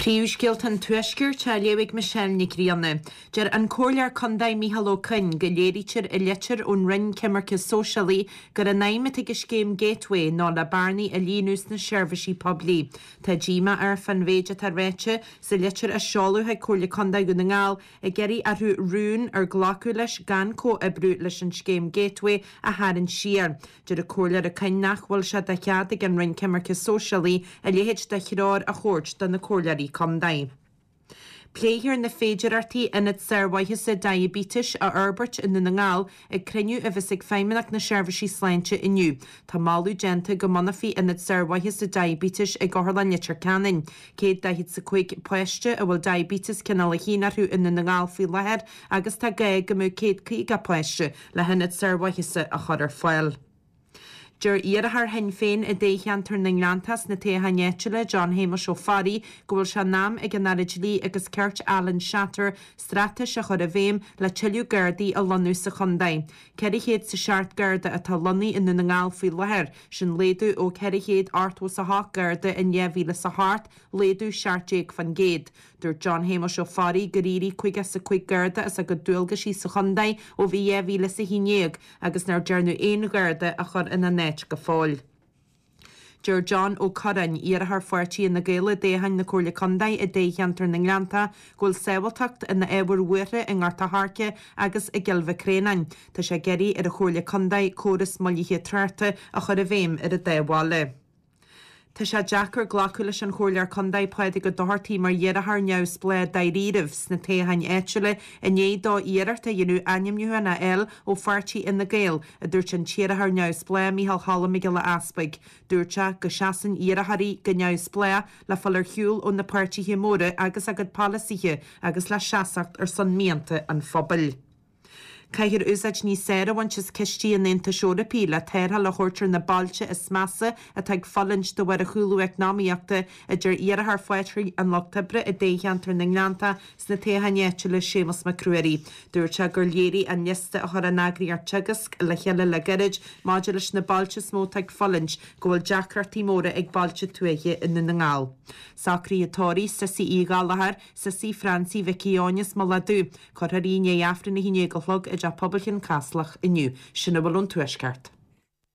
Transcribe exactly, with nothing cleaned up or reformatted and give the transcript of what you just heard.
Príomhscéalta an Tuaiscirt á léamh ag Michelle Nic Grianna. Deir an Comhairleoir Contae Micheál Ó Coinn go léirítear i litir ón Roinn Coimirce Sóisialaí gur an aidhm atá ag scéim Gateway ná le bearnaí a líonadh sna seirbhísí poiblí. Tá díomá air fán mhéid atá ráite sa litir a seoladh chuig Comhairle Contae Dhún na nGall ag iarraidh orthu rún ar glacadh leis gan comhoibriú leis an scéim Gateway a tharraingt siar. Deir an Comhairleoir Ó Coinn nach bhfuil sé de chead ag an Roinn Coimirce Sóisialaí a leithéid de threoir a thabhairt do na comhairleoirí contae. Pléifear na féidearthachtaí ionad sármhaitheasa diaibéitis a fhorbairt i nDún na nGall ag cruinniú a bheas ag Feidhmeannacht na Seirbhísí Sláinte inniu. Tá moladh déanta go mbunófaí ionad sármhaitheasa diaibéitis ag Otharlann Leitir Ceanainn. Céad daichead is a cúig páiste a bhfuil diaibéiteas cineál a haon orthu i nDún na nGall faoi láthair agus tá gá go mbeadh céad caoga páiste le hionad sármhaitheasa a chur ar fáil. Deir iarrthóir Shinn Féin i dtoghcheantar na nGleanntach sna toghcháin áitiúla John Shéamuis Ó Fearraigh go bhfuil sé in am ag an Aire Dlí agus Cirt Alan Shatter straitéis a chur i bhfeidhm le tuilleadh Gardaí a lonnú sa chontae. Ceithre chéad is a seacht Garda atá lonnaithe i nDún na nGall faoi láthair, sin laghdú ó ceithre chéad ochtó is a hocht Garda in dhá mhíle is a hocht, laghdú seacht déag faoin gcéad. Dúirt John Shéamuis Ó Fearraigh gur éirigh caoga is a cúig Garda as a gcuid dualgaisí sa chontae ó bhí dhá mhíle is a haon déag agus nár dearnadh aon Gharda a chur ina n-áit go fóill. Deir John Ó Curráin, iarrthóir pháirtí Fhine Gael i dtoghchán na Comhairle Contae i dtoghcheantar na nGleanntach, go bhfuil sábháilteacht ina ábhar buartha i nGort a' Choirce agus i gCill Mhic Réanáin. Tá sé ag iarraidh ar an Chomhairle Contae córas moillithe tráchta a chur i bhfeidhm ar an dá bhaile. Tá sé deacair glacadh leis an Chomhairleoir Contae Pádraig Ó Dochartaigh mar iarrthóir neamhspleách dáiríribh sna toghcháin áitiúla i ndiaidh dó iarracht a dhéanamh ainmniúchán a fháil ó pháirtí Fhine Gael, a dúirt an t-iarrthóir neamhspleách Micheál Cholm Mac Giolla Easpaig. Dúirt sé go seasann iarrthóirí go neamhspleách le fáil ar shiúl ó na páirtithe móra agus a gcuid polasaithe agus le seasacht ar son mianta an phobail. Caithfear úsáid níos fearr a bhaint as cistí an Aontais Eorpaigh le tarrtháil a thabhairt ar na bailte is measa atá ag fulaingt de bharr an chúlú eacnamaíochta, a deir iarrthóir Pháirtí an Lucht Oibre i dtoghcheantar na nGleanntach sna toghcháin áitiúla Séamus Mac Ruairí. Dúirt sé gur léirigh an liosta a chuir an eagraíocht Teagasc le chéile le gairid maidir leis na bailte is mó atá ag fulaingt go bhfuil deacrachtaí móra ag bailte tuaithe i nDún na nGall. Socruithe tórraimh Sissy Uí Ghallchóir, Sissy Francie Mhicí Eoin as Mullach Dubh. Cuirfear í i ndiaidh Aifreann a haon déag a chlog i dTeach Pobail Chionn Caslach inniu. Sin a bhfuil ón Tuaisceart.